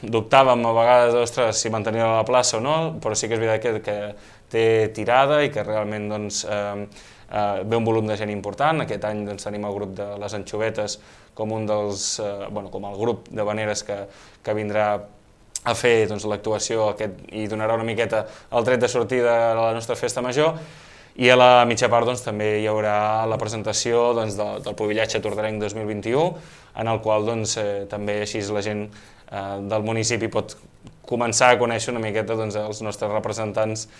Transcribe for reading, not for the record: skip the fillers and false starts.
dubtàvem a vegades, ostres, si mantenir la plaça o no, però sí que és veritat que té tirada i que realment doncs, ve un volum de gent important. Aquest any doncs, tenim el grup de les Anxovetes com un dels, com el grup de veneres que vindrà a fer doncs, l'actuació i donarà una miqueta el tret de sortida a la nostra festa major. I a la mitja part doncs, també hi haurà la presentació doncs, del Pubillatge Tordarenc 2021, en el qual doncs, també així la gent del municipi pot començar a conèixer una miqueta doncs, els nostres representants